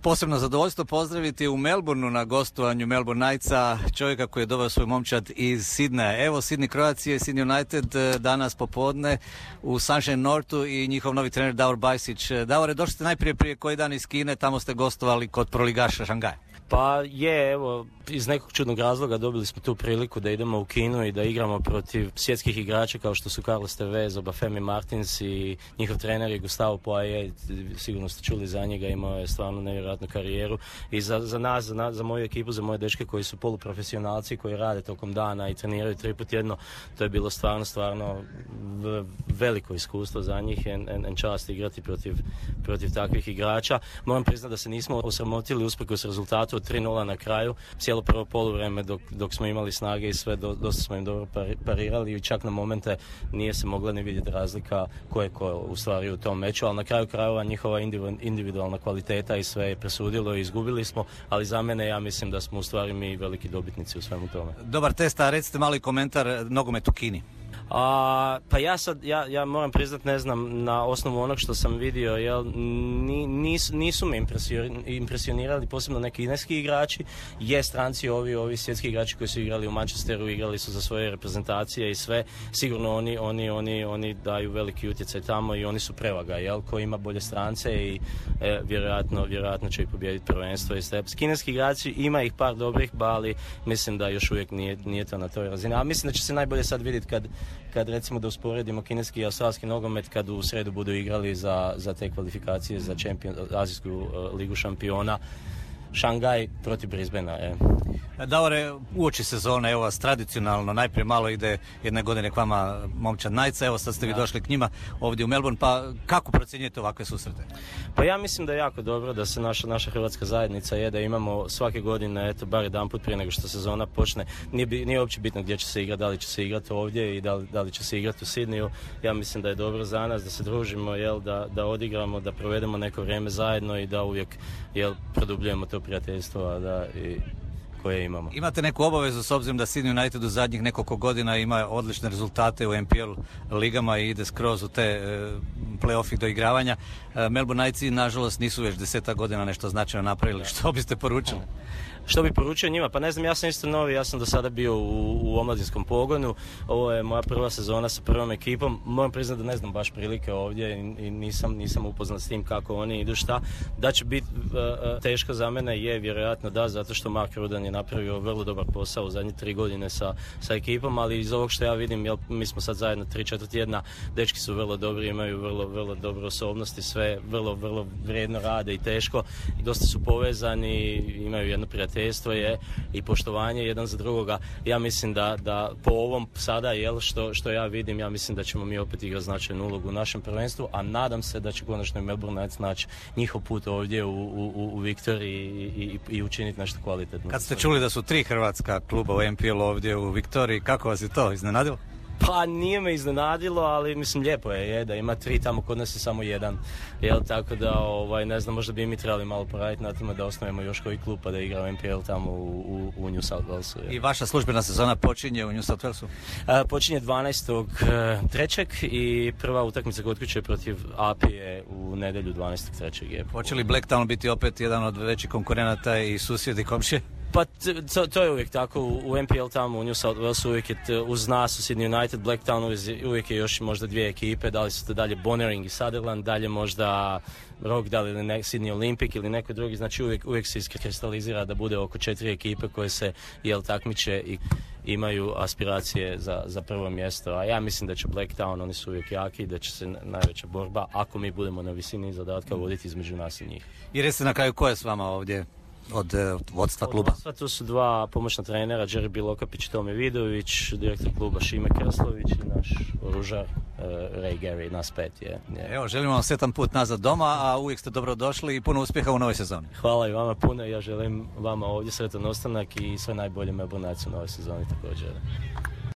posebno zadovoljstvo pozdraviti u Melbourneu na gostovanju Melbourne Knightsa čovjeka koji je doveo svoj momčad iz Sidneja. Evo Sydney Croatia i Sydney United danas popodne u Sunshine Northu i njihov novi trener Davor Bajsić. Davore, došli ste najprije prije koji dan iz Kine, tamo ste gostovali kod proligaša Šangaja. Pa je, evo, iz nekog čudnog razloga dobili smo tu priliku da idemo u Kinu i da igramo protiv svjetskih igrača kao što su Carlos Tevez, Obafemi Martins i njihov trener je Gustavo Poirier, sigurno ste čuli za njega, imao je stvarno nevjerojatnu karijeru i za nas, za moju ekipu, za moje dečke koji su poluprofesionalci, koji rade tokom dana i treniraju 3 puta tjedno, to je bilo stvarno veliko iskustvo za njih i čast igrati protiv takvih igrača. Moram priznati da se nismo osramotili usprkos rezultatu od 3-0 na kraju. Cijelo prvo poluvreme dok smo imali snage i sve, dosta smo im dobro parirali i čak na momente nije se mogla ni vidjeti razlika ko je ko u stvari u tom meču, ali na kraju krajeva njihova individualna kvaliteta i sve je presudilo i izgubili smo, ali za mene ja mislim da smo u stvari mi veliki dobitnici u svemu tome. Dobar test, a recite mali komentar nogomet u Kini. Pa ja moram priznat, ne znam, na osnovu onog što sam vidio, jel, nisu me impresionirali posebno neki kineski igrači, je stranci ovi svjetski igrači koji su igrali u Manchesteru, igrali su za svoje reprezentacije i sve, sigurno oni daju veliki utjecaj tamo i oni su prevaga, jel, ko ima bolje strance i vjerojatno će i pobijediti prvenstvo i sve. Kineski igrači, ima ih par dobrih, ali mislim da još uvijek nije to na toj razini, a mislim da će se najbolje sad vidjeti kad recimo da usporedimo kineski i australski nogomet kad u sredu budu igrali za te kvalifikacije za Azijsku ligu šampiona, Šangaj protiv Brisbanea. Davore, uoči sezone, evo vas tradicionalno, najprije malo ide jedne godine k vama momčad Knightsa, evo sad ste vi došli k njima ovdje u Melbourne, pa kako procjenjujete ovakve susrete? Pa ja mislim da je jako dobro da se naša hrvatska zajednica da imamo svake godine, bar jedan put prije nego što sezona počne, nije uopće bitno gdje će se igrati, da li će se igrati ovdje i da li će se igrati u Sidneju. Ja mislim da je dobro za nas da se družimo, da odigramo, da provedemo neko vrijeme zajedno i da uvijek produbljujemo to prijateljstvo koje imamo. Imate neku obavezu s obzirom da Sydney United u zadnjih nekoliko godina ima odlične rezultate u NPL ligama i ide skroz u te play-offi do igravanja. Melbourne Knightsi nažalost nisu već 10 godina nešto značajno napravili. Što biste poručili? Što bi poručio njima? Pa ne znam, ja sam isto novi, ja sam do sada bio u omladinskom pogonu, ovo je moja prva sezona sa prvom ekipom, moram priznati da ne znam baš prilike ovdje i nisam upoznat s tim kako oni idu, šta. Da će biti teško za mene je vjerojatno da, zato što Mark Rudan je napravio vrlo dobar posao u zadnje 3 godine sa ekipom, ali iz ovog što ja vidim, mi smo sad zajedno 3-4 tjedna, dečki su vrlo dobri, imaju vrlo dobre osobnosti, sve vrlo vrijedno rade i teško, i dosta su povezani, imaju jedno prijateljstvo i poštovanje jedan za drugoga. Ja mislim da po ovom sada, što ja vidim, ja mislim da ćemo mi opet igrati značajnu ulogu u našem prvenstvu, a nadam se da će konačno i Melbourne Knights naći njihov put ovdje u Viktoriji i učiniti nešto kvalitetno. Kad ste čuli da su 3 hrvatska kluba u NPL ovdje u Viktoriji, kako vas je to iznenadilo? Pa nije me iznenadilo, ali mislim lijepo je da ima 3, tamo kod nas je samo 1. Tako da ne znam, možda bi mi trebali malo poraditi na tome da osnovimo još koji klub pa da igra u NPL tamo u New South Walesu. I vaša službena sezona počinje u New South Walesu? Počinje 12.3. i prva utakmica kod kuće protiv Apije u nedjelju 12.3. Hoće li Blacktown biti opet jedan od većih konkurenata i susjedi komšije? Pa to je uvijek tako, u NPL tamo u New South Walesu uvijek je uz nas, u Sydney United, Blacktown uvijek je još možda 2 ekipe, da li su to dalje Bonnering i Sutherland, dalje možda Rockdale ili Sydney Olympic ili neko drugi, znači uvijek se iskristalizira da bude oko 4 ekipe koje se takmiče i imaju aspiracije za prvo mjesto, a ja mislim da će Blacktown, oni su uvijek jaki, da će se najveća borba, ako mi budemo na visini zadatka, voditi između nas i njih. I recite na kraju ko je s vama ovdje? Od vodstva kluba? Tu su 2 pomoćna trenera, Jerry Bilokapić i Tomi Vidović, direktor kluba Šime Kraslović i naš oružar Ray Gary, nas 5 je. Evo, želimo vam sretan put nazad doma, a uvijek ste dobro došli i puno uspjeha u novoj sezoni. Hvala i vama puno, ja želim vama ovdje sretan ostanak i sve najbolje Melbourne Knights u novoj sezoni također.